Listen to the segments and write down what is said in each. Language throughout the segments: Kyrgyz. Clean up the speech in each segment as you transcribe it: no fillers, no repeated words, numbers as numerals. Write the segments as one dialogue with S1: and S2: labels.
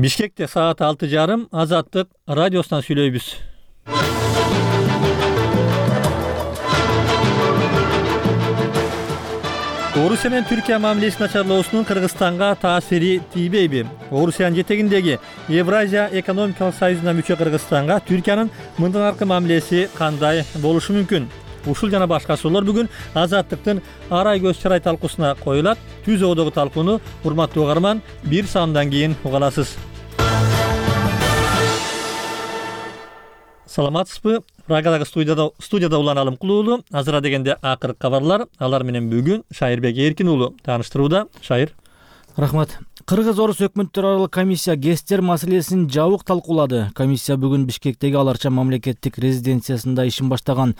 S1: Бишкекте саат 6:30 Азаттык радиосунан сүйлөйбүз. Орусия менен Түркия мамилесин начарлоосунун Кыргызстанга таасири тийбейби? Орусиянын жетегиндеги Евразия экономикалык союзуна мүчө Кыргызстанга Түркиянын мындан аркы мамилеси кандай болушу мүмкүн? Ушул жана башка суроолор бүгүн Азаттыктын арай көз чарай талкуусуна коюлат. Түз оодогу талкууну урматтуу угарман бир саамдан кийин уга аласыз. Саламатсызбы? Рагадагы студияда Улан Алымкул уулу. Азыра дегенде акыркы кабарлар. Алар менен бүгүн Шайырбек Эркин уулу тааныштырууда. Шайыр.
S2: Рахмат. Кыргыз-Орус өкмөттөр аралык комиссия ГЭСтер маселесин жабык талкуулады. Комиссия бүгүн Бишкектеги Аларча мамлекеттик резиденциясында ишин баштаган.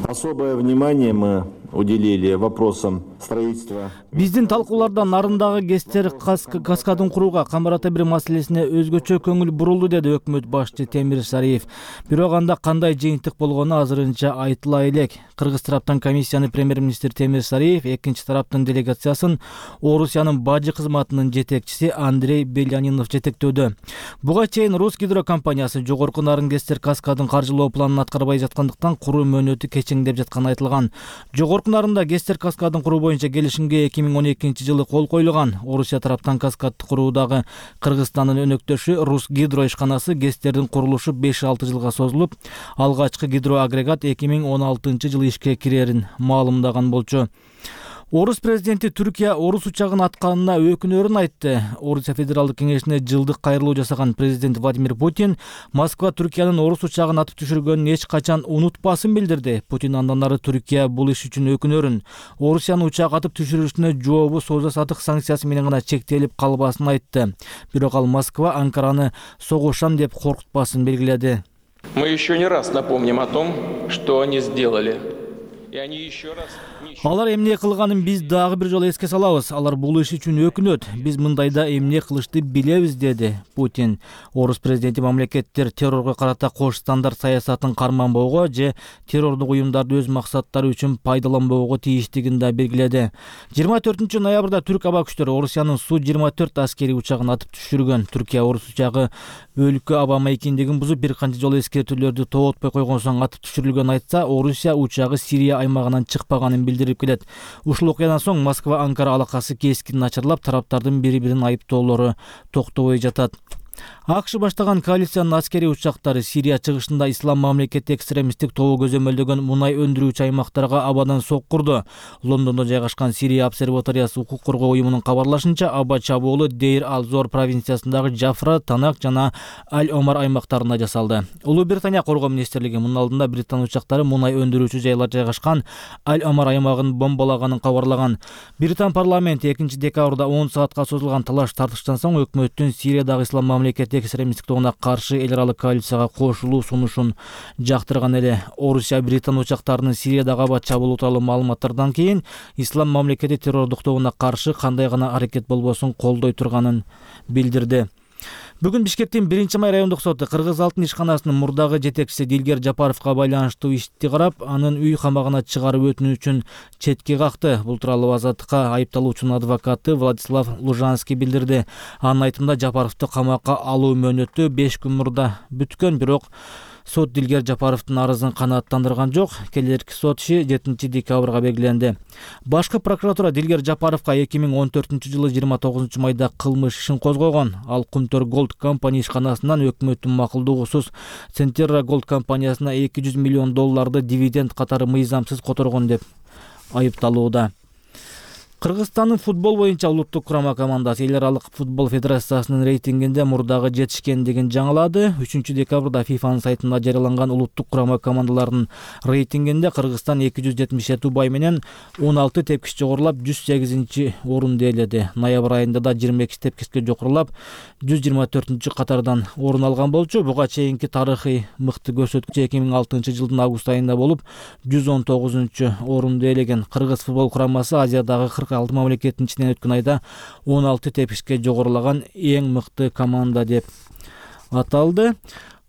S3: Особое внимание мы уделили вопросам строительства.
S2: Биздин талкууларда нарындагы ГЭСтер каскадын курууга камбарата бир маселесине өзгөчө көңүл бурулду, деди өкмөт башчы Темир Сариев. Бирок анда кандай жыйынтык болгону азырынча айтыла элек. Кыргыз тараптан комиссияны премьер-министр Темир Сариев, экинчи тараптын делегациясын Орусиянын бажы кызматынын жетекчиси Андрей Белянинов жетектөөдө. Буга чейин Русгидро компаниясы жогорку нарын ГЭСтер каскадын каржылоо планын аткарбай жаткандыктан куруу мөөнөтү кечеңдеп жатканы айтылган. Жогорку нарында ГЭСтер каскадын куруу боюнча келишимге 2012-жылы кол коюлган. Орусия тараптан каскадды куруудагы Кыргызстандын өнөктөшү Русгидро ишканасы ГЭСтердин курулушу 5-6 жылга созулуп, алгачкы гидроагрегат 2016-жылы ишке кирерин маалымдаган болчу. Орус президенти Түркия орус учагын атканына өкүнөрүн айтты. Орусия Федералдык кеңешине жылдык кайрылуу жасаган президент Владимир Путин Москва Түркиянын орус учагын атып түшүргөнүн эч качан унутпасын билдирди. Путин андан ары Түркия бул иш үчүн өкүнөрүн, Орусиянын учак атып түшүрүшүнө жообу сооза-сатык санкциясы менен гана чектелип калбасын айтты. Бирок ал Москва Анкараны согушам деп коркутпасын белгиледи.
S4: Мы еще не раз напомним о том, что они сделали.
S2: Алар эмне кылганын биз дагы бир жолу эске салабыз. Алар бул иш үчүн өкүнөт. Биз мындайда эмне кылышты билебиз, деди Путин. Орус президенти мамлекеттер террорго карата кош стандарт саясатын карманбоого же террордук уюмдарды өз максаттары үчүн пайдаланбоого тийиштигин да белгиледи. 24 ноябрда түрк аба күчтөрү Орусиянын Су-24 аскери учагын атып түшүргөн. Түркия орус учагы өлкө аба маекиндигин бузуп бир канча жолу эскертүүлөрдү тоотпой койгон соң атып түшүрүлгөн айтса, Орусия учагы Сирия аймагынан чыкпаганын билдирип келет. Ушул окуядан соң Москва Анкара алакасы кескин начарлап, тараптардын бири-бирин айыптоолору токтобой жатат. АКШ баштаган коалициянын аскери учактары Сирия чыгышында ислам мамлекети экстремисттик тобу көзөмөлдөгөн мунай өндүрүүчү аймактарга абадан соккурду. Лондондо жайгашкан Сирия обсерваториясы укук коргоо уюмунун кабарлашынча, аба чабуулу Дейр ал-Зор провинциясындагы Жафра, Танак жана Аль-Омар аймактарында жасалды. Улуу Британия коргоо министрлиги мунун алдында Британ учактары мунай өндүрүүчү жайлар жайгашкан Аль-Омар аймагын бомбалаганын кабарлаган. Британ парламенти 2-декабрда 10 саатка созулган талаш тартыштан соң өкмөттүн Сириядагы ислам мамлекети экстремисттик тобуна каршы эл аралык коалицияга кошулуу сунушун жактырган эле. Орусия Британ учактарынын Сириядагы аба чабуулу тууралуу маалыматтардан кийин ислам мамлекети террордук тобуна каршы кандай гана аракет болбосун колдой турганын билдирди. Бүгүн Бишкектин 1-май райондук соту Кыргыз алтын ишканасынын мурдагы жетекчиси Дилгер Жапаровго байланыштуу ишти карап, анын үй камагына чыгарып өтүнүүчүн четке какты. Бул тууралуу Азаттыкка айыпталуучунун адвокаты Владислав Лужанский билдирди. Анын айтымында Жапаровду камакка алуу мөөнөтү 5 күн мурда бүткөн, бирок сот Дилгер Жапаровдун арызын канааттандырган жок. Келерки сот иши 7-декабрга белгиленди. Башкы прокуратура Дилгер Жапаровго 2014-жылы 29 майда кылмыш ишин козгогон. Ал Кумтөр Голд компания ишканасынан өкмөттүн макулдугусуз Центерра Голд компаниясына $200 миллион дивиденд катары мыйзамсыз которгон деп айыпталууда. Кыргызстандын футбол боюнча улуттук курама командасы эл аралык футбол федерациясынын рейтингинде мурдагы жетишкендигин жаңылады. 3-декабрда ФИФАнын сайтында жарыяланган улуттук курама командаларынын рейтингинде Кыргызстан 277 убай менен 16 тепкич жогорулап 108-орунду ээледи. Ноябрь айында да 22 тепкичке жогорулап 124 катардан орун алган болчу. Буга чейинки тарыхый мыкты көрсөткүч 2006-жылдын август айында болуп 119-орунду ээлеген. Кыргыз футбол курамасы Азиядагы 46 мамлекеттин ичинен өткөн айда 16 тепкичке жогорулаган эң мыкты команда деп аталды.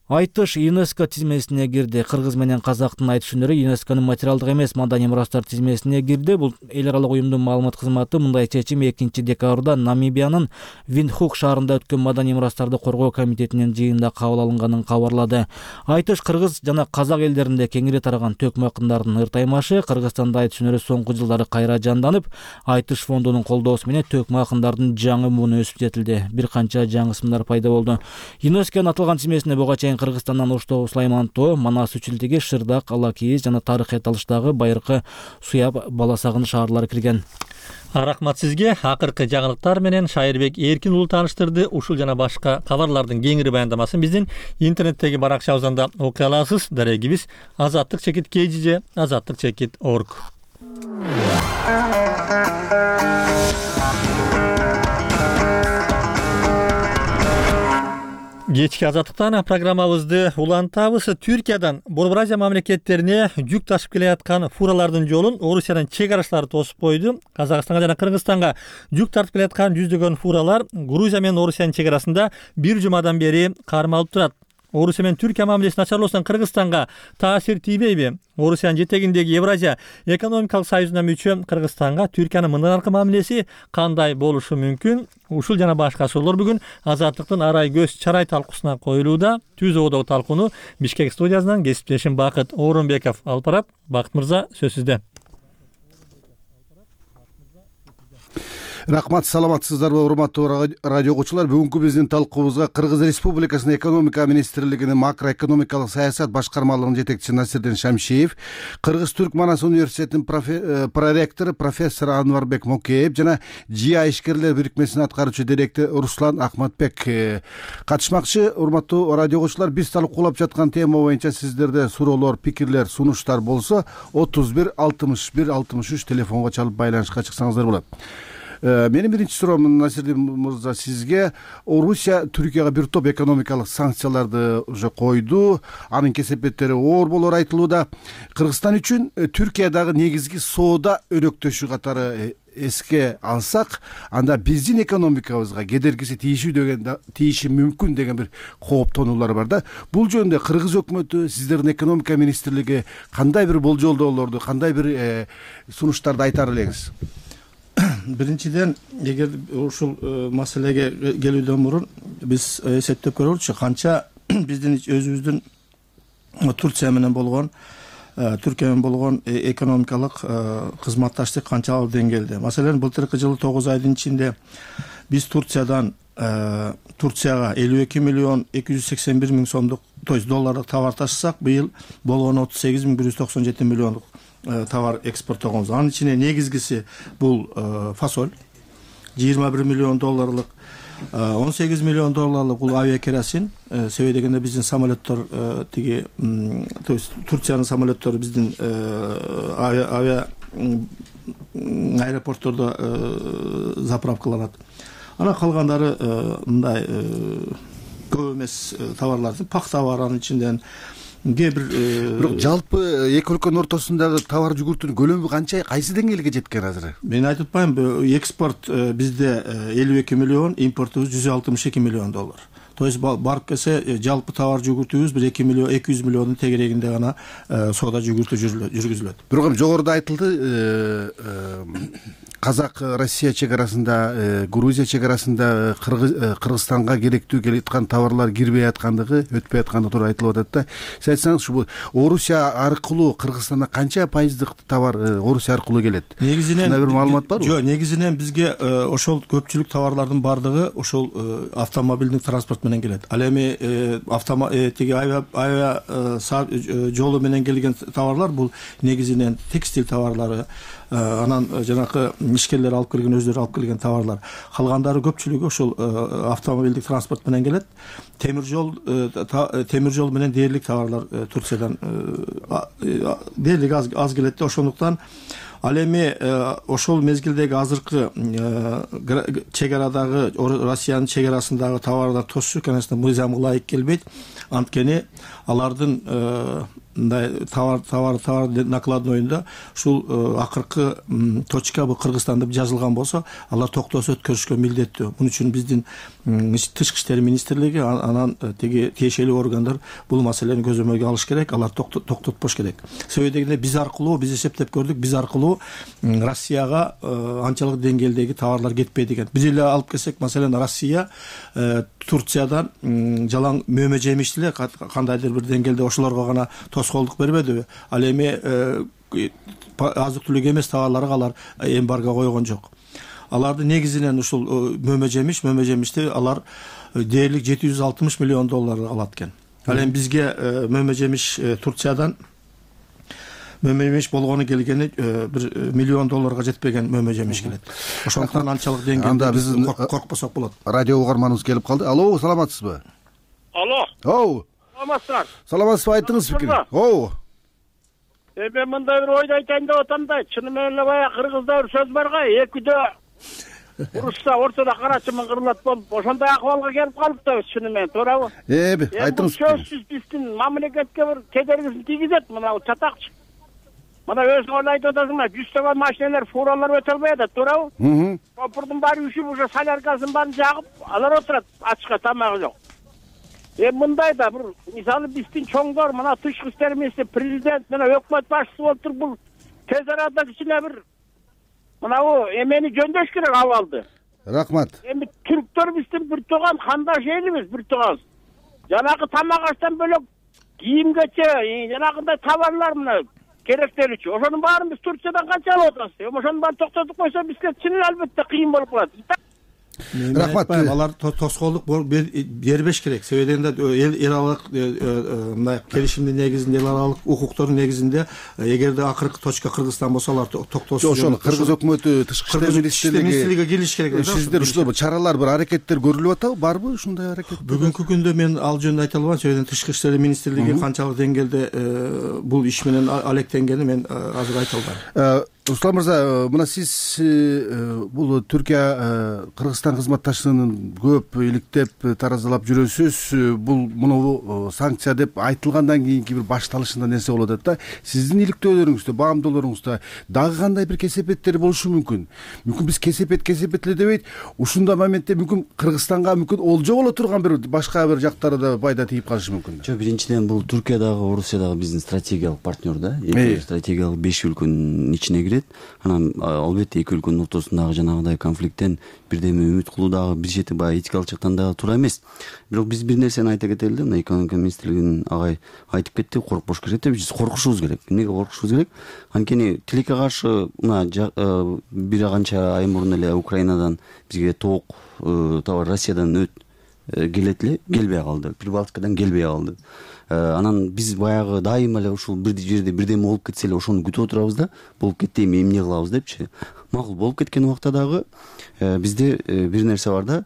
S2: Айтыш ЮНЕСКО тизмесине кирди. Кыргыз менен казактын айтыш өнөрү ЮНЕСКОнун материалдык эмес маданий мурастар тизмесине кирди. Бул эл аралык уюмдун маалымат кызматы мындай чечим 2-декабрда Намибиянын Виндхук шаарында өткөн маданий мурастарды коргоо комитетинин жыйынында кабыл алынганын кабарлады. Айтыш кыргыз жана казак элдеринде кеңири тараган төкмө акындардын ыртаймашы. Кыргызстанда айтыш өнөрү соңку жылдары кайра жанданып, Айтыш фондунун колдоосу менен төкмө акындардын жаңы муну өсүп жетилди. Бир канча жаңы ысымдар пайда болду. ЮНЕСКОнун аталган тизмесине буга чейин Кыргызстандан Оштоо, Сулаймантоо, Манас Үчүлтиги, Шырдак, Алакийиз жана тарыхый аталыштагы байыркы Суяб, Баласагын шаарлары кирген.
S1: Рахмат сизге. Акыркы жаңылыктар менен Шайырбек Эркин уулу тааныштырды. Ушул жана башка кабарлардын кеңири баяндамасын биздин интернеттеги баракчабыздан да окуй аласыз. Дарегибиз azatlyk-kg, azatlyk-org. Кечки азаттыктан программабызды улантабыз. Түркиядан Борбор Азия мамлекеттерине жүк ташып келе аткан фуралардын жолун Орусиянын чек арачылары тосуп койду. Казакстанга жана Кыргызстанга жүк тартып келе аткан жүздөгөн фуралар Грузия менен Орусиянын чек арасында бир жумадан бери кармалып турат. Орусия менен Түркия мамилеси начарлоосунан Кыргызстанга таасир тийбейби? Орусиянын жетегиндеги Евразия экономикалык союзуна мүчө Кыргызстанга Түркиянын мындан аркы мамилеси кандай болушу мүмкүн? Ушул жана башка суроолор бүгүн Азаттыктын арай көз чарай талкуусуна коюлууда. Түз оодогу талкууну Бишкек студиясынан кесиптешим Бакыт Орунбеков алып барат. Бакыт мырза, сөз сизде.
S5: Рахмат, саламатсыздарбы урматтуу радио окуучулар. Бүгүнкү биздин талкуубузга Кыргыз Республикасынын экономика министрлигинин макроэкономикалык саясат башкармалыгынын жетекчиси Насирдин Шамшиев, Кыргыз-Түрк Манас университетинин проректору профессор Анварбек Мокеев жана ЖИА ишкерлер бирикмесинин аткаруучу директору Руслан Ахматбек катышмакчы. Урматтуу радио окуучулар, биз талкуулап жаткан тема боюнча сиздерде суроолор, пикирлер, сунуштар болсо 31 61 63 телефонго чалып байланышка чыксаңыздар болот. Менин биринчи суроом, Насирдин мырза, сизге. Орусия Түркияга бир топ экономикалык санкцияларды уже койду. Анын кесепеттери оор болор айтылууда. Кыргызстан үчүн Түркиядагы негизги соода өнөктөшү катары эске алсак, анда биздин экономикабызга кедергиси тийиши мүмкүн деген бир кооптонуулар бар да. Бул жөнүндө Кыргыз өкмөтү, сиздердин экономика министрлиги кандай бир болжолдоолорду, кандай бир сунуштарды айтар элеңиз?
S6: Биринчиден, эгер ушул маселеге келүүдөн мурун биз эсептеп көрөлүчү, канча биздин өзүбүздүн Турция менен болгон, Түркия менен болгон экономикалык кызматташтык канча деңгээлде. Маселен, былтыркы жылы 9 айдын ичинде биз Турцияга 52 миллион 281 миң сомдук, то есть доллардык товар ташысак, быйыл болгону 38 миң 197 миллиондук товар экспорттогонбуз. Анын ичине негизгиси бул фасоль, 21 миллион долларлык, 18 миллион долларлык бул авиакеросин. Себеби дегенде биздин самолеттор, то есть Турциянын самолеттору биздин аэропорттордо заправкаланат. Анан калгандары мындай көп эмес товарларды, пахта бар анын ичинден.
S5: Бирок жалпы эки өлкөнүн ортосундагы товар жүгүртүүнүн көлөмү канча, кайсы деңгээлге жеткен азыр?
S6: Мен айтып атпаймынбы, экспорт бизде 52 миллион, импортубуз 162 миллион доллар. То есть барып келсе жалпы товар жүгүртүүбүз 200 миллиондун тегерегинде гана соода жүгүртүү жүргүзүлөт.
S5: Бирок жогоруда айтылды, Казак Россия чек арасында, Грузия чек арасында Кыргызстанга керектүү келе аткан товарлар кирбей аткандыгы, өтпөй аткандыгы тууралуу айтылып атат да. Сиз айтсаңыз, ушул Орусия аркылуу Кыргызстанга канча пайыздык товар Орусия аркылуу келет?
S6: Негизинен
S5: бир маалымат барбы?
S6: Жок, негизинен бизге ошол көпчүлүк товарлардын бардыгы ошол автомобилдик транспорт менен келет. Ал эми авиа жолу менен келген товарлар бул негизинен текстиль товарлары, анан жанакы ишкерлер алып келген, өздөрү алып келген товарлар. Калгандары көпчүлүгү ошол автомобилдик транспорт менен келет. Темир жол менен дээрлик товарлар Турциядан дээрлик аз келет. Ошондуктан Ал эми ошол мезгилдеги азыркы чек арадагы Россиянын чек арасындагы товарлар тосчу, конечно, мыйзамга ылайык келбейт. Анткени алардын мындай товар накладнойунда ушул акыркы точка бул Кыргызстан деп жазылган болсо, алар токтоосуз өткөрүшкө милдеттүү. Муну үчүн биздин Тышкы иштер министрлиги анан теги тиешелүү органдар бул маселени көзөмөлгө алыш керек, алар токтотпош керек. Себеби дегенде биз эсептеп көрдүк, биз аркылуу Россияга анчалык деңгээлдеги товарлар кетпейт экен. Биз эле алып келсек, маселен, Россия Турциядан жалаң мөмө жемишти эле кандайдыр бир деңгээлде ошолорго гана тоскоолдук бербедиби? Ал эми азык түлүк эмес товарларга алар эмбарго койгон жок. Аларды негизинен ушул мөмө жемишти алар дээрлик $760 миллион алат экен. Ал эми бизге мөмө жемиш Турциядан мөмө жемиш болгону келгени $1 миллион жетпеген мөмө жемиш келет. Ошондуктан анчалык деңгээлде биз коркпосок болот.
S5: Радио угарманыбыз келип калды. Алло, саламатсызбы?
S7: Алло.
S5: Оу.
S7: Саламатсыздар.
S5: Саламатсызбы, айтыңыз пикир. Оу.
S7: Мен мындай бир ойду айтайын деп атам да, чыны менен эле баягы кыргызда бир сөз барга, экидөө урушса ортодо карачымын кырылат болуп, ошондой акыбалга келип калыптыр чыны менен, туурабы?
S5: Айтыңыз.
S7: Сөзсүз биздин мамлекетке бир кедергисин тийгизет мына чатакчы. Мына өзүң айтып атасың, 100 машиналар, фуралар өтө албай атат, туурабы? Шопурдун баары үшүп, уже соляркасын баарын жагып, алар отурат ачка, тамагы жок. Мындай да бир мисалы биздин чоңдор, мына Тышкы иштер министри, президент менен өкмөт башчысы болуп туруп, бул тез арада кичине бир мынабу эмени жөндөш керек абалды.
S5: Рахмат.
S7: Эми түрктөр биздин бир тууган кандаш элибиз, бир тууган. Жанагы тамак аштан бөлөк кийимгече, жанагындай товарлар мына керектелүүчү. Ошонун баарын биз Турциядан канча алып атабыз? Ошонун баарын токтотуп койсо бизге чын албетте кыйын болуп калат.
S6: Рахмат. Алар тоскоолдук бербеш керек. Себеби дегенде эл аралык мындай келишимдин негизинде, эл аралык укуктордун негизинде, эгерде акыркы точка Кыргызстан болсо, алар токтоосуз.
S5: Ошону Кыргыз өкмөтү, Тышкы иштер министрлиги
S6: келиш керек.
S5: Сиздер ушул чаралар, бир аракеттер көрүлүп атабы? Барбы ушундай аракет?
S6: Бүгүнкү күндө мен ал жөнүндө айта албайм. Себеби Тышкы иштер министрлиги канчалык деңгээлде бул иш менен алектенгени мен азыр айта албайм.
S5: Руслан мырза, мына сиз бул Түркия Кыргызстан кызматташыгынын көп иликтеп таразалап жүрөсүз. Бул муну санкция деп айтылгандан кийинки бир башталышында нерсе болуп атат да. Сиздин иликтөөлөрүңүздө, баамдоолоруңузда дагы кандай бир кесепеттер болушу мүмкүн? Мүмкүн биз кесепет эле дебейт, ушундай моментте мүмкүн Кыргызстанга мүмкүн олжо боло турган бир башка бир жактары да пайда тийип калышы мүмкүн.
S8: Жок, биринчиден бул Түркиядагы, Орусиядагы биздин стратегиялык партнер да. Стратегиялык 5 өлкөнүн ичине кирет. Анан албетте эки өлкөнүн ортосундагы жанагындай конфликттен бирдеме үмүт кылуу дагы бир чети баягы этикалык жактан дагы туура эмес. Бирок биз бир нерсени айта кетели да, мына экономика министрлигинин агай айтып кетти, коркпош керек деп. Биз коркушубуз керек. Эмнеге коркушубуз керек? Анткени тилекке каршы мына бир канча ай мурун эле Украинадан бизге тоок товар Россиядан келет эле, келбей калды. Прибалтикадан келбей калды. Анан биз баягы дайыма эле ушул бир жерде бирдеме болуп кетсе эле ошону күтүп отурабыз да, болуп кетти, эми эмне кылабыз депчи. Макул болуп кеткен убакта дагы бизде бир нерсе бар да.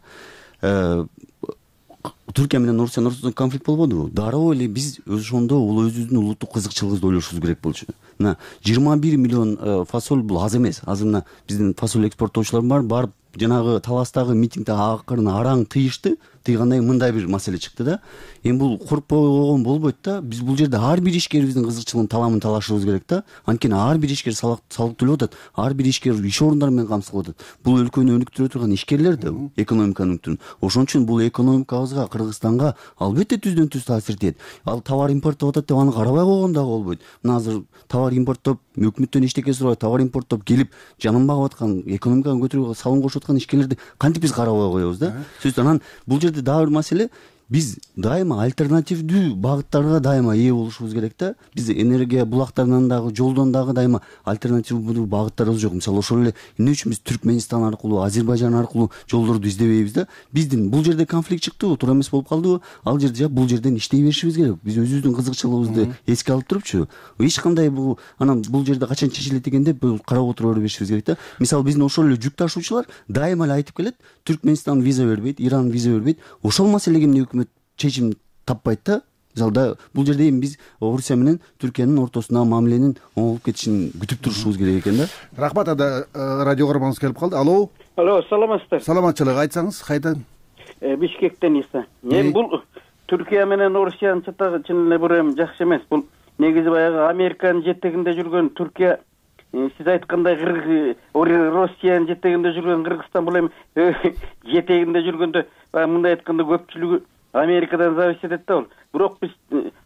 S8: Түркия менен Орусиянын ортосунда конфликт болбодубу? Дароо эле биз ошондо өзүбүздүн улуттук кызыкчылыгыбызды ойлошубуз керек болчу. Мына 21 миллион фасоль бул аз эмес. Азыр мына биздин фасоль экспорттоочулар барып жанагы Таластагы митингде акырына араң тыйышты. Тыйгандан кийин мындай бир маселе чыкты да. Эми бул коркпой койгон болбойт да. Биз бул жерде ар бир ишкерибиздин кызыкчылыгын таламын талашыбыз керек да. Анткени ар бир ишкер салык төлөп атат. Ар бир ишкер иш орундары менен камсыздалып атат. Бул өлкөнү өнүктүрө турган ишкерлер да, экономиканы өнүктүрүн. Ошон үчүн бул экономикабызга, Кыргызстанга албетте түздөн түз таасир этет. Ал товар импорттоп атат деп аны карабай койгон дагы болбойт. Мына азыр товар импорттоп, өкмөттөн эчтеке сурабай товар импорттоп келип, жанын багып аткан, экономиканы көтөрүүгө салым кошуп аткан ишкерлерди кантип биз карабай коебуз да? Сөзсүз анан бул жерде дагы бир маселе, биз дайыма альтернативдүү багыттарга дайыма ээ болушубуз керек да. Биз энергия булактарынан дагы, жолдон дагы дайыма альтернативдүү багыттарыбыз жок. Мисалы ошол эле эмне үчүн биз Түркмөнстан аркылуу, Азербайжан аркылуу жолдорду издебейбиз да? Биздин бул жерде конфликт чыктыбы, туура эмес болуп калдыбы? Ал жерде бул жерден иштей беришибиз керек. Биз өзүбүздүн кызыкчылыгыбызды эске алып турупчу, эч кандай бул анан бул жерде качан чечилет экен деп карап отура беришибиз керек да. Мисалы биздин ошол эле жүк ташуучулар дайыма эле айтып келет, Түркмөнстан виза бербейт, Иран виза бербейт. Ошол маселеге эмне өкмөт чечим таппайт да? залда. Бул жерде эми биз Орусия менен Түркиянын ортосундагы мамиленин оңолуп кетишин күтүп турушубуз керек экен да.
S5: Рахмат. Ада радио көрөрманыбыз келип калды. Алло.
S7: Алло, саламатсыздар.
S5: Саламатчылык, айтсаңыз кайдан?
S7: Бишкектен Иса. Эми бул Түркия менен Орусиянын чатагы чын эле бир эми жакшы эмес. Бул негизи баягы Американын жетегинде жүргөн Түркия, сиз айткандай Россиянын жетегинде жүргөн Кыргызстан бул эми жетегинде жүргөндө баягы мындай айтканда көпчүлүгү Америкадан зависит этет да бул. Бирок биз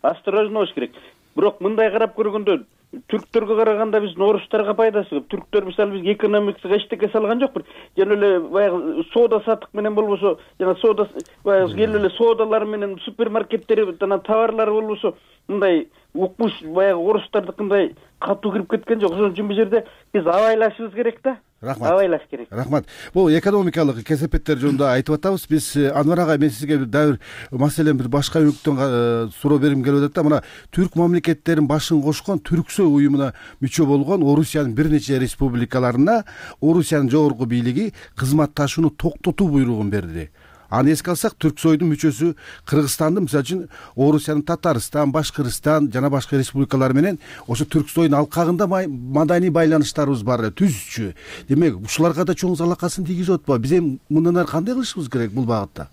S7: осторожно болуш керек. Бирок мындай карап көргөндө түрктөргө караганда биздин орустарга пайдасы көп. Түрктөр мисалы биз экономикасына эчтеке салган жок. Жана эле баягы соода саттык менен болбосо, жана соода баягы келип эле соодалар менен супермаркеттер жана товарлар болбосо мындай укмуш баягы орустардыкындай катуу кирип кеткен жок. Ошон үчүн бул жерде биз абайлашыбыз керек да.
S5: Рахмат.
S7: Абайлаш керек.
S5: Рахмат. Бул экономикалык кесепеттер жөнүндө айтып атабыз. Биз Анвар агай, мен сизге дагы маселен бир башка өңүктөн суроо бергим келип атат да. Мына түрк мамлекеттерин башын кошкон Түрксой уюмуна мүчө болгон Орусиянын бир нече республикаларына Орусиянын жогорку бийлиги кызматташууну токтотуу буйругун берди. Аны эске алсак, Түрксойдун мүчөсү Кыргызстанды, мисалы үчүн Орусиянын Татарстан, Башкырстан жана башка республикалар менен ошо Түрксойдун алкагында маданий байланыштарыбыз бар эле, түзчү. Демек, ушуларга да чоң залакасын тийгизип атпайбы? Биз эми мындан ары кандай кылышыбыз керек бул багытта?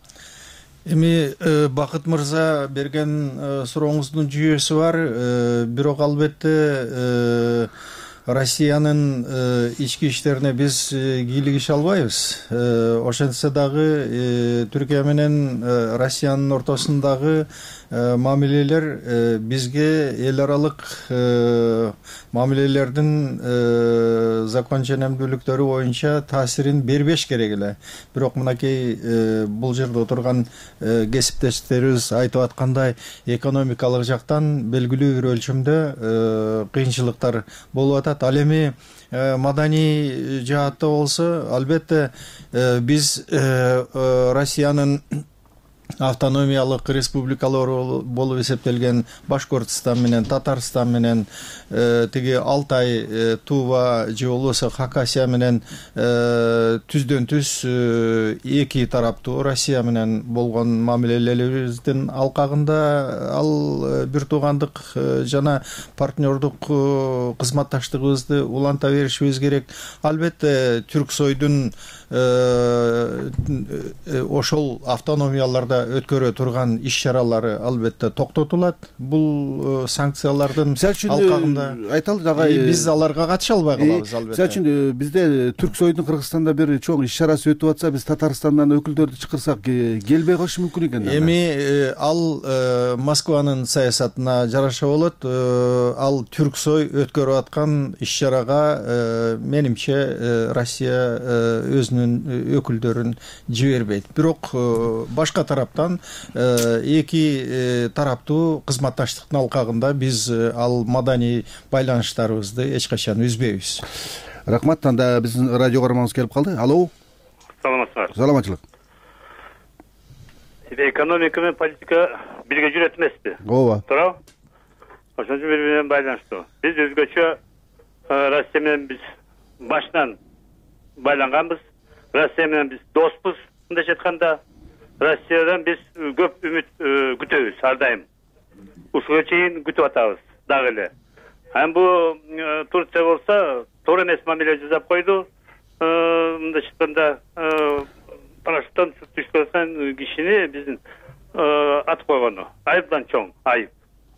S6: Эми Бакыт мырза берген сурооңуздун жүйөсү бар. Бирок албетте Россиянын ички иштерине биз кийлигише албайбыз. Ошентсе дагы Түркия менен Россиянын ортосундагы мамилелер бизге эл аралык мамилелердин закон ченемдүүлүктөрү боюнча таасирин бербеш керек эле. Бирок мынакей бул жерде отурган кесиптештерибиз айтып аткандай экономикалык жактан белгилүү бир өлчөмдө кыйынчылыктар болуп атат. Ал эми маданий жаатта болсо, албетте биз Россиянын автономиялык республикалары болуп эсептелген Башкортостан менен Татарстан менен тиги Алтай, Тува же болбосо Хакасия менен түздөн түз эки тараптуу Россия менен болгон мамилелерибиздин алкагында ал бир туугандык жана партнердук кызматташтыгыбызды уланта беришибиз керек. Албетте Түрксойдун ошол автономияларда өткөрө турган иш чаралары албетте токтотулат. Бул санкциялардын алкагында
S5: айталы дагы
S6: биз аларга катыша албай калабыз албетте.
S5: Мисалы үчүн бизде Түрксойдун Кыргызстанда бир чоң иш чарасы өтүп атса, биз Татарстандан өкүлдөрдү чакырсак келбей калышы мүмкүн экен.
S6: Эми ал Москванын саясатына жараша болот. Ал Түрксой өткөрүп аткан иш чарага менимче Россия өзүнүн өкүлдөрүн жибербейт. Бирок башка тараптан эки тараптуу кызматташтыктын алкагында биз ал маданий байланыштарыбызды эч качан үзбөйбүз.
S5: Рахмат. Анда биздин радио көрөрманыбыз келип калды. Алло.
S9: Саламатсызбы?
S5: Саламатчылык.
S9: Экономика менен политика бирге жүрөт эмеспи?
S5: Ооба.
S9: Туурабы? Ошон үчүн бири менен байланыштуу. Биз өзгөчө Россия менен биз башынан байланганбыз. Россия менен биз доспуз. Мындайча айтканда, Россиядан биз көп үмүт күтөбүз ар дайым. Ушуга чейин күтүп атабыз дагы эле. Бул Турция болсо, туура эмес мамиле жасап койду. Мындайча айтканда, парашюттан түшүп аткан кишини биздин атып койгону. Айыптан чоң айып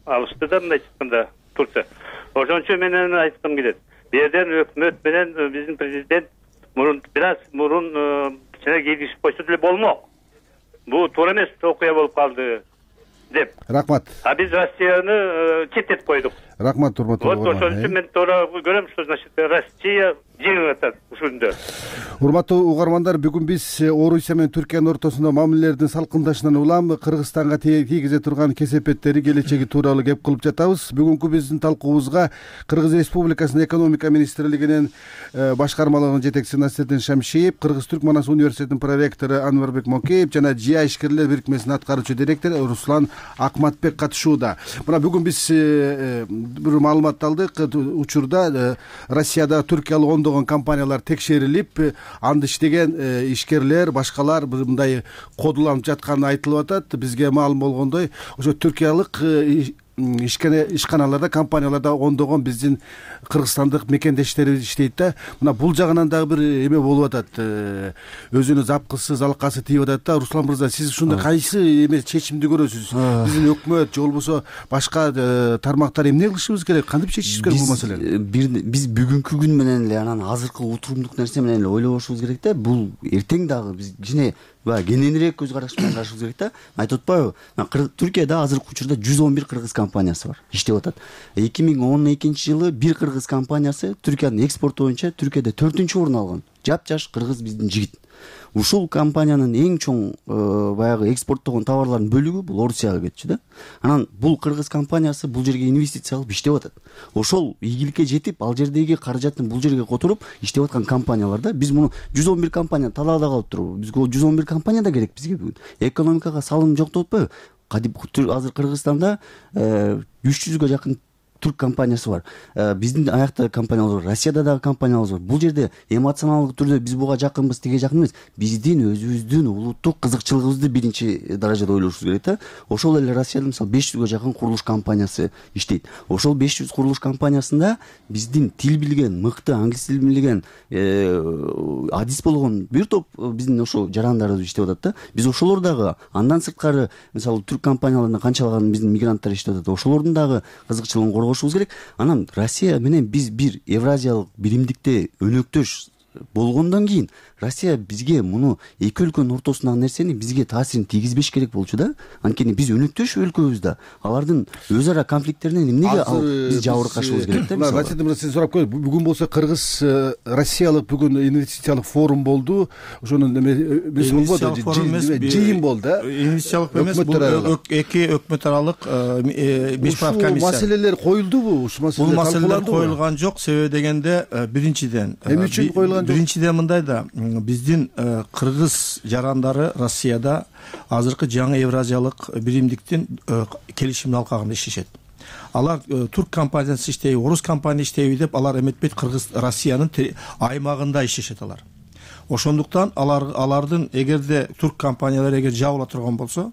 S9: алышты да, мындайча айтканда Турция. Ошон үчүн менен айткым келет. Бу жерден өкмөт менен биздин президент бираз мурун кичине кийгизип койсо деле болмок. Бул туура эмес окуя болуп калды деп.
S5: Рахмат.
S9: Биз Россияны четтетип койдук.
S5: Рахмат, урматтуу
S9: угарман. Вот ошон үчүн мен туура көрөм, что значит Россия жеңип атат ушунда.
S5: Урматтуу угармандар, бүгүн биз Орусия менен Түркиянын ортосунда мамилелердин салкындашынан улам Кыргызстанга тийгизе турган кесепеттери, келечеги тууралуу кеп кылып жатабыз. Бүгүнкү биздин талкуубузга Кыргыз Республикасынын экономика министрлигинин башкармалыгынын жетекчиси Насирдин Шамшиев, Кыргыз-Түрк Манас университетинин проректору Анварбек Мокеев жана ЖИА ишкерлер бирикмесинин аткаруучу директору Руслан Акматбек катышууда. Мына бүгүн биз бир маалымат алдык. Учурда Россияда түркиялык ондогон компаниялар текшерилип, анда иштеген ишкерлер, башкалар мындай кодуланып жатканы айтылып атат. Бизге маалым болгондой, ошо түркиялык ишканаларда, компанияларда ондогон биздин кыргызстандык мекендештерибиз иштейт да. Мына бул жагынан дагы бир эме болуп атат. Өзүнүн запкысы, залкасы тийип атат да. Руслан мырза, сиз ушунда кайсы эме чечимди көрөсүз? Биздин өкмөт же болбосо башка тармактар эмне кылышыбыз керек? Кантип чечишибиз керек бул маселени?
S8: Биз бүгүнкү күн менен эле анан азыркы отурумдук нерсе менен эле ойлобошубуз керек да. Бул эртең дагы биз кичине кененирээк көз караш менен карашыбыз керек да. Айтып атпайбы? Түркияда азыркы учурда 111 кыргыз компаниясы бар, иштеп атат. 2012-жылы бир кыргыз компаниясы Түркиянын экспорту боюнча Түркияда 4-орун алган. Жапжаш кыргыз биздин жигит. Ушул компаниянын эң чоң баягы экспорттогон товарлардын бөлүгү бул Орусияга кетчү да. Анан бул кыргыз компаниясы бул жерге инвестиция кылып иштеп атат. Ошол ийгиликке жетип, ал жердеги каражатын бул жерге которуп иштеп аткан компанияларда биз муну 111 компания талаада калып турбу. Бизге 111 компания да керек бизге бүгүн. Экономикага салым жок деп атпайбы? Азыр Кыргызстанда 300га жакын түрк компаниясы бар. Биздин аякта компаниялар бар, Россияда дагы компаниялар бар. Бул жерде эмоционалдык түрдө биз буга жакынбыз, тиге жакын эмес. Биздин өзүбүздүн улуттук кызыкчылыгыбызды биринчи даражада ойлошубуз керек да. Ошол эле Россияда мисалы 500га жакын курулуш компаниясы иштейт. Ошол 500 курулуш компаниясында биздин тил билген, мыкты англис тилин билген, адис болгон бир топ биздин ошо жарандарыбыз иштеп атат да. Биз ошолор дагы андан сырткары мисалы түрк компанияларында канчалаган биздин мигранттар иштеп атат. Ошолордун дагы кызыкчылыгын коргошубуз керек. Анан Россия менен биз бир Евразиялык биримдикте өнөктөш болгондон кийин Россия бизге муну эки өлкөнүн ортосундагы нерсени бизге таасирин тийгизбеш керек болчу да. Анткени биз өнөктөш өлкөбүз да. Алардын өз ара конфликттеринен эмнеге биз жабыркашыбыз керек да?
S5: Расид мырза, сизден сурап коеюн. Бүгүн болсо Кыргыз Россиялык бүгүн инвестициялык форум болду. Ошонун эмеси болбоду, жыйын болду.
S6: Инвестициялык эмес, бул эки өкмөт аралык бешбаев комиссия.
S5: Маселелер коюлдубу? Ушул
S6: маселелер коюлган жок. Себеби дегенде биринчиден
S5: эмне үчүн коюлган жок?
S6: Биринчиден мындай да, биздин кыргыз жарандары Россияда азыркы жаңы Евразиялык биримдиктин келишимин алкагында иштешет. Алар турк компаниясы иштейби, орус компания иштейби деп алар эметпейт, Кыргыз Россиянын аймагында иштешет алар. Ошондуктан алардын эгерде турк компаниялары эгер жабыла турган болсо,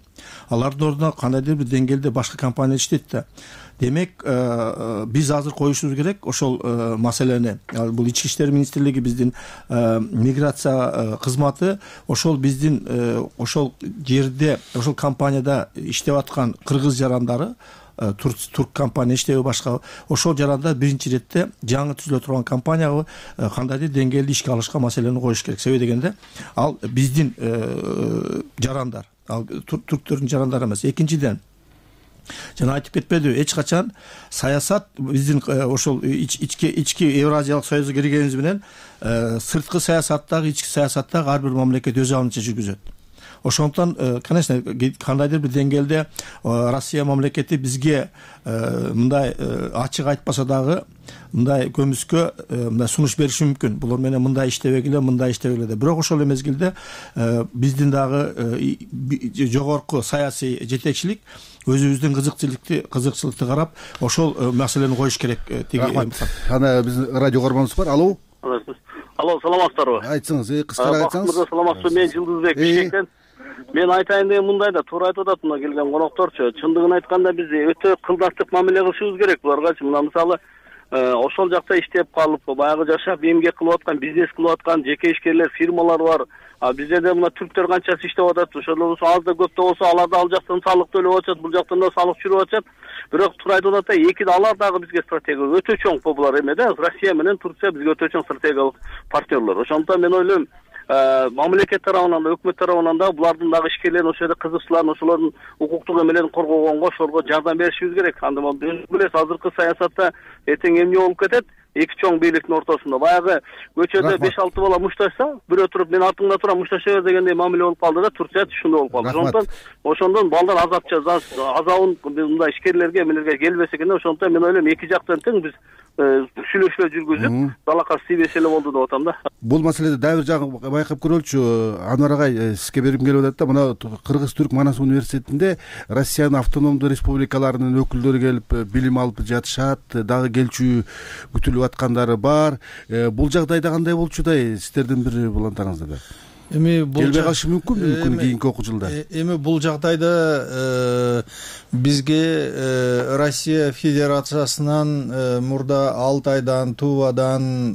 S6: алардын ордуна кандайдыр бир деңгээлде башка компания иштейт да. Демек, биз азыр коюшубуз керек ошол маселени. Бул Ички иштер министрлиги, биздин миграция кызматы ошол биздин ошол жерде, ошол компанияда иштеп аткан кыргыз жарандары, турк компания иштеби башка, ошол жарандар биринчи иретте жаңы түзүлө турган компанияга кандайдыр деңгээлде ишке алышка маселени коюш керек. Себеби дегенде ал биздин жарандар, ал турктөрдүн жарандары эмес. Экинчиден, жана айтып кетпедиби, эч качан саясат биздин ошол ички Евразиялык союзга киргенибиз менен сырткы саясаттагы, ички саясаттагы ар бир мамлекет өз алдынча жүргүзөт. Ошондуктан, конечно, кандайдыр бир деңгээлде Россия мамлекети бизге мындай ачык айтпаса дагы мындай көмүскө мындай сунуш бериши мүмкүн. Булар менен мындай иштебегиле, мындай иштебегиле деп. Бирок ошол эле мезгилде биздин дагы жогорку саясий жетекчилик өзүбүздүн кызыкчылыкты карап ошол маселени коюш керек.
S5: Рахмат. Ана биздин радио көргөнүбүз бар. Алло.
S7: Алло, саламатсыздарбы?
S5: Айтсаңыз, кыскара айтсаңыз.
S7: Мырза, саламатсызбы? Мен Жылдызбек Бишкектен. Мен айтайын деген мындай да, туура айтып атат мына келген конокторчу. Чындыгын айтканда биз өтө кылдаттык мамиле кылышыбыз керек буларгачы. Мына мисалы ошол жакта иштеп калып, баягы жашап эмгек кылып аткан, бизнес кылып аткан жеке ишкерлер, фирмалар бар. Биздерде мына түрктөр канчасы иштеп атат. Ошолор аз да көп да болсо алар да ал жактан салык төлөп атышат, бул жактан да салык жүрүп атышат. Бирок туура айтып атат да, эки алар дагы бизге стратегия өтө чоң булар эме да. Россия менен Турция бизге өтө чоң стратегиялык партнерлор. Ошондуктан мен ойлойм, мамлекет тарабынан да, өкмөт тарабынан да булардын дагы ишкерлерин, ошол жерде кызыкчыларын, ошолордун укуктук эмелерин коргогонго, ошолорго жардам беришибиз керек. Анда билесиз, азыркы саясатта эртең эмне болуп кетет? Эки чоң бийликтин ортосунда баягы көчөдө 5-6 бала мушташса, бирөө туруп мен артыңда турам мушташа бер дегендей мамиле болуп калды да, Турция ушундай болуп калды. Ошондон балдар азабын мындай ишкерлерге, эмелерге келбесе экен. Ошондуктан мен ойлойм, эки жактан тең биз
S10: сүйлөшүүлөр жүргүзүп далакасы тийбесе эле болду деп атам да.
S5: Бул маселеде дагы бир жагын байкап көрөлүчү. Анвар агай, сизге бергим келип атат да, мына Кыргыз-Түрк Манас университетинде Россиянын автономдуу республикаларынын өкүлдөрү келип билим алып жатышат, дагы келчү күтүлүп аткандары бар. Бул жагдайда кандай болчудай сиздердин бир булантарыңызда?
S11: Эми бул
S5: келбей калышы мүмкүнбү кийинки окуу жылда?
S11: Эми бул жагдайда бизге Россия Федерациясынан мурда Алтайдан, Тувадан,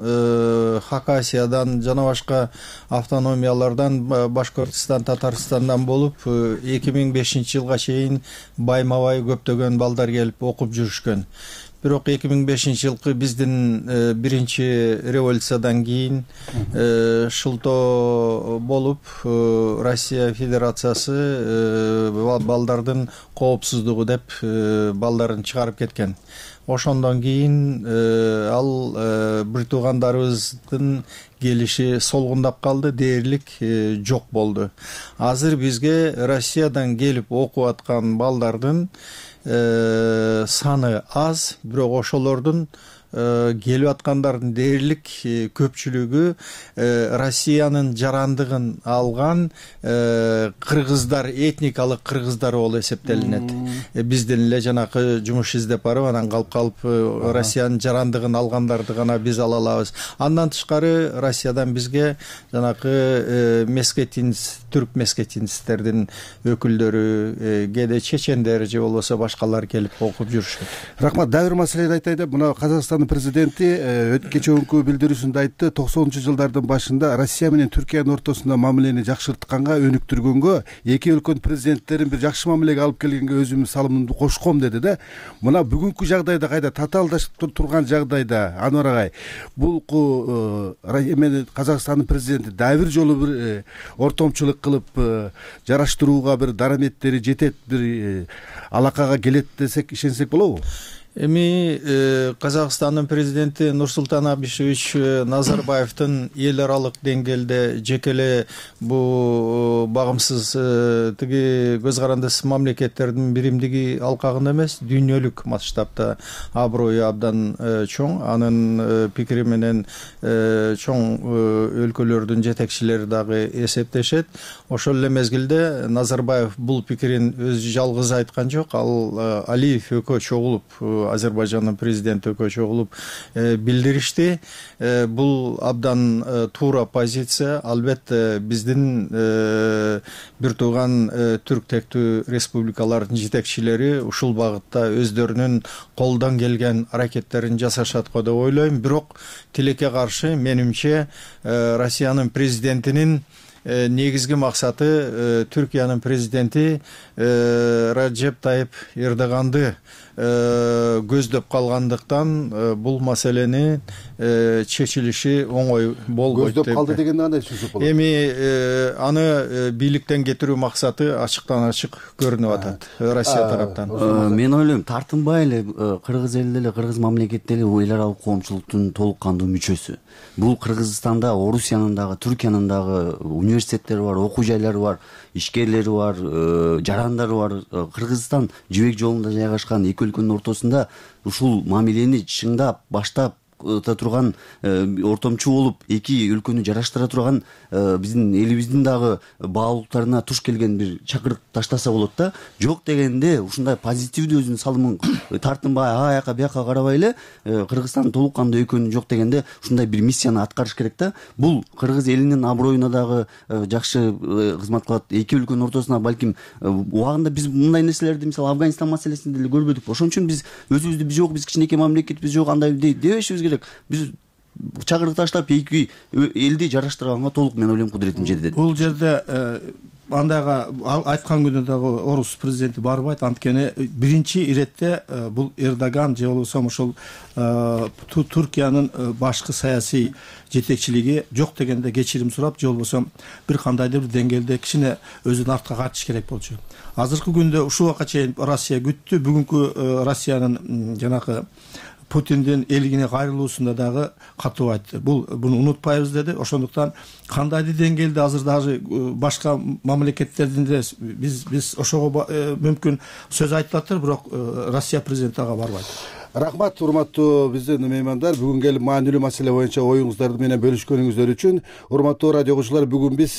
S11: Хакасиядан жана башка автономиялардан, Башкортостан, Татарстандан болуп 2005-жылга чейин байма-бай көптөгөн балдар келип окуп жүрүшкөн. Бирок 2005-жылкы биздин биринчи революциядан кийин шылтоо болуп Россия Федерациясы балдардын коопсуздугу деп балдарын чыгарып кеткен. Ошондон кийин ал бир туугандарыбыздын келиши солгундап калды, дээрлик жок болду. Азыр бизге Россиядан келип окуп аткан балдардын саны аз, бирок ошолордун келип аткандардын дээрлик көпчүлүгү Россиянын жарандыгын алган кыргыздар, этникалык кыргыздар болуп эсептелинет. Бизден эле жанакы жумуш издеп барып, анан калып Россиянын жарандыгын алгандарды гана биз ала алабыз. Андан тышкары Россиядан бизге жанакы мескетинц, түрк мескетинцтердин өкүлдөрү, кээде чечендер же болбосо башкалар келип окуп жүрүшөт.
S5: Рахмат. Дагы бир маселени айтайын деп, мына Казакстан президенти кечээкү билдирүүсүндө айтты, 90-жылдардын башында Россия менен Түркиянын ортосунда мамилени жакшыртканга, өнүктүргөнгө, эки өлкөнүн президенттерин бир жакшы мамилеге алып келгенге өзүмдүн салымымды кошком деди да. Мына бүгүнкү жагдайда кайда татаалдашып турган жагдайда, Анвар агай, бул Казакстандын президенти дагы бир жолу бир ортомчулук кылып жараштырууга бир дараметтери жетет, бир алакага келет десек, ишенсек болобу?
S11: Эми Казакстандын президенти Нурсултан Абишевич Назарбаевдин эл аралык деңгээлде жекеле бу багымсыз тиги көз карандысыз мамлекеттердин биримдиги алкагында эмес, дүйнөлүк масштабта аброю абдан чоң. Анын пикири менен чоң өлкөлөрдүн жетекчилери дагы эсептешет. Ошол эле мезгилде Назарбаев бул пикирин өзү жалгыз айткан жок. Ал Алиев экөө чогулуп, Азербайжандын президенти экөө чогулуп билдиришти. Бул абдан туура позиция. Албетте биздин бир тууган түрк тектүү республикалардын жетекчилери ушул багытта өздөрүнүн колдон келген аракеттерин жасашат го деп ойлойм. Бирок тилекке каршы, менимче, Россиянын президентинин негизги максаты Түркиянын президенти Раджеп Тайип Эрдоганды көздөп калгандыктан бул маселени чечилиши оңой болбойт деп.
S5: Көздөп калды дегенди кандай түшүнсөк болот?
S11: Эми аны бийликтен кетирүү максаты ачыктан ачык көрүнүп атат Россия тараптан.
S8: Мен ойлойм, тартынбай эле кыргыз эли деле, кыргыз мамлекети деле эл аралык коомчулуктун толук кандуу мүчөсү. Бул Кыргызстанда, Орусиянын дагы, Түркиянын дагы университеттери бар, окуу жайлары бар, ишкерлери бар, жарандары бар. Кыргызстан жибек жолунда жайгашкан эки өлкөнүн ортосунда ушул мамилени чыңдап, баштап турган, ортомчу болуп эки өлкөнү жараштыра турган биздин элибиздин дагы баалуулуктарына туш келген бир чакырык таштаса болот да. Жок дегенде ушундай позитивдүү өзүнүн салымын тартынбай аяка бияка карабай эле Кыргызстан толук кандуу экөнү жок дегенде ушундай бир миссияны аткарыш керек да. Бул кыргыз элинин аброюна дагы жакшы кызмат кылат. Эки өлкөнүн ортосуна балким убагында биз мындай нерселерди, мисалы Афганистан маселесинде деле көрбөдүк. Ошон үчүн биз өзүбүздү биз жок, биз кичинекей мамлекетпиз, жок андай дебешибиз керек. Биз чакырык таштап эки элди жараштырганга толук, мен ойлойм, кудуретим жетет.
S6: Бул жерде андайга айткан күндө дагы орус президенти барбайт. Анткени биринчи иретте бул Эрдоган же болбосо ошол Түркиянын башкы саясий жетекчилиги жок дегенде кечирим сурап, же болбосо бир кандайдыр бир деңгээлде кичине өзүн артка кайтыш керек болчу. Азыркы күндө ушул убакка чейин Россия күттү. Бүгүнкү Россиянын жанакы Путиндин элине кайрылуусунда дагы катуу айтты. Буну унутпайбыз деди. Ошондуктан кандайдыр деңгээлде азыр дагы башка мамлекеттердин биз ошого мүмкүн сөз айтып атыр, бирок Россия президенти ага барбайт.
S5: Рахмат, урматтуу биздин меймандар, бүгүн келип маанилүү маселе боюнча оюңуздарды менен бөлүшкөнүңүздөр үчүн. Урматтуу радио окуучулар, бүгүн биз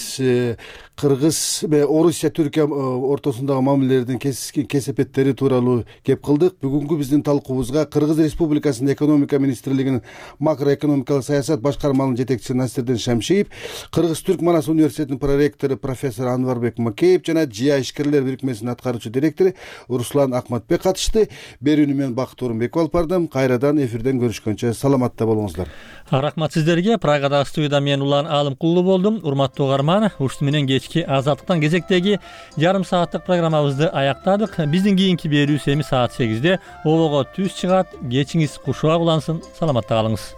S5: Кыргыз Орусия Түркия ортосундагы мамилелердин кесепеттери тууралуу кеп кылдык. Бүгүнкү биздин талкуубузга Кыргыз Республикасынын экономика министрлигинин макроэкономикалык саясат башкармалыгынын жетекчиси Насирдин Шамшиев, Кыргыз Түрк Манас университетинин проректору профессор Анварбек Макеев жана ЖИА ишкерлер бирикмесинин аткаруучу директору Руслан Акматбек катышты. Берүүнү мен Бакыт Орунбеков алып бардым. Кайрадан эфирден көрүшкөнчө саламатта болуңуздар.
S1: Рахмат сиздерге. Прагадагы студияда мен Улан Алымкулуу болдум. Урматтуу угарман, ушуну менен кечки Азаттыктан кезектеги жарым сааттык программабызды аяктадык. Биздин кийинки берүүбүз эми саат 8-де. Обого түз чыгат. Кечиңиз кушуак улансын. Саламатта калыңыз.